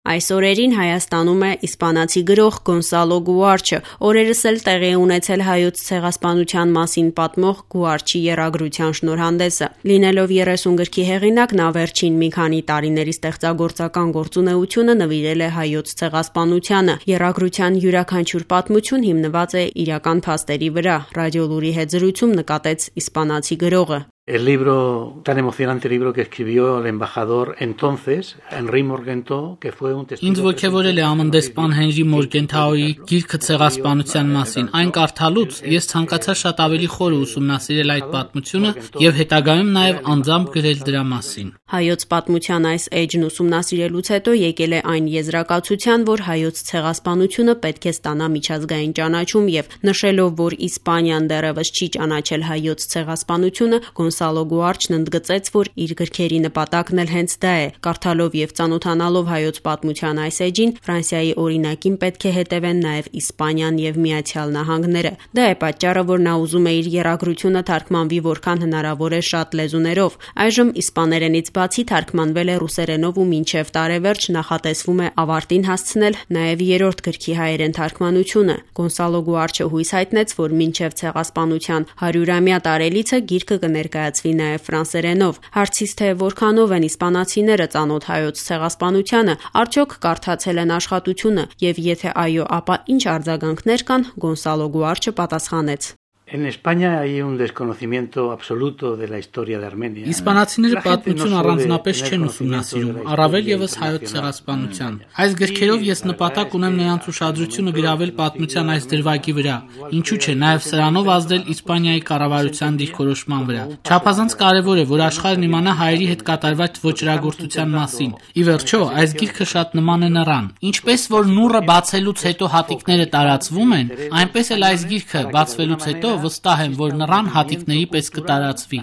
Այս օրերին Հայաստանում է իսպանացի գրող Գոնսալո Գուարչը, օրերս էլ տեղի է ունեցել հայոց ցեղասպանության մասին պատմող Գուարչի եռագրության շնորհանդեսը։ Լինելով 30 գրքի հեղինակ, նա վերջին մի քանի տարիների ստեղծագործական գործունեությունը նվիրել է հայոց ցեղասպանությանը։ Եռագրության յուրաքանչյուր պատմություն հիմնված է իրական փաստերի վրա, Ռադիոլուրի հետ զրույցում նկատեց իսպանացի գրողը։ El libro, tan emocionante libro que escribió el embajador entonces, Henry Morgenthau, que fue un testigo... Ինձ ոգևորել է ամնդեսպան Հենրի Մորգենթաուի գիրքը ցեղասպանության մասին։ Այն կարդալուց ես ցանկացա շատ ավելի խոր ուսումնասիրել այդ պատմությունը եւ հետագայում նաեւ անձամբ գրել դրա մասին։ Հայոց պատմության այս էջն ուսումնասիրելուց հետո եկել է այն եզրակացության, որ հայոց ցեղասպանությունը պետք է ստանա միջազգային ճանաչում եւ նշելով, որ Իսպանիան դեռևս չի ճանաչել հայոց ցեղասպանությունը, Գոնսալո Գուարչն ընդգծեց, որ իր գրքերի նպատակն էլ հենց դա է։ Կարդալով եւ ծանոթանալով հայոց պատմության այս էջին, Ֆրանսիայի օրինակին պետք է հետևեն նաեւ Իսպանիան եւ Միացյալ Նահանգները։ Դա է պատճառը, որ նա ուզում է իր եռագրությունը թարգմանվի որքան հնարավոր է շատ լեզուներով։ Այժմ իսպաներենից բացի թարգմանվել է ռուսերենով ու մինչև տարեվերջ նախատեսվում է ավարտին հասցնել նաեւ երրորդ գրքի հայերեն թարգմանությունը։ Գոնսալո Գուարչը հույս հայտնեց, որ մինչև ցեղասպանության 100-ամյա տարելիցը գիրքը կներկայացվի նաեւ ֆրանսերենով։ Հարցից թե որքանով են իսպանացիները ծանոթ հայոց ցեղասպանությանը, արդյոք կարդացել են աշխատությունը եւ եթե այո, ապա ինչ արձագանքներ կան, Գոնսալո Գուարչը պատասխանեց. En España hay un desconocimiento absoluto de la historia de Armenia. Իսպանացիները պատմություն առանձնապես չեն ուսումնասիրում, առավել եւս հայոց ցեղասպանության։ Այս գրքերով ես նպատակ ունեմ նրանց ուշադրությունը գրավել պատմության այս դրվագի վրա, ինչու՞ չէ, նաեւ սրանով ազդել Իսպանիայի կառավարության դիրքորոշման վրա։ Չափազանց կարեւոր է, որ աշխարհն իմանա հայերի հետ կատարված ոճրագործության մասին։ Ի վերջո, այս գիրքը շատ նման է նրան։ Ինչպես որ նուռը բացելուց հետո հատիկները տարածվում են, այնպես էլ այս գիրքը բացվելուց հետո վստահ եմ, որ նրան հատիկների պես կտարածվի։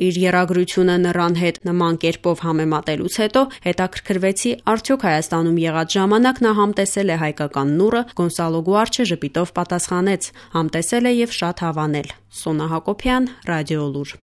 Իր եռագրությունը նրան հետ նման կերպով համեմատելուց հետո հետաքրքրվեցի, արդյոք Հայաստանում եղած ժամանակ նա համտեսել է հայկական նուռը, Գոնսալո Գուարչը ժպիտով պատասխանեց. համտեսել է եւ շատ հավանել։ Սոնա Հակոբյան, Ռադիոլուր։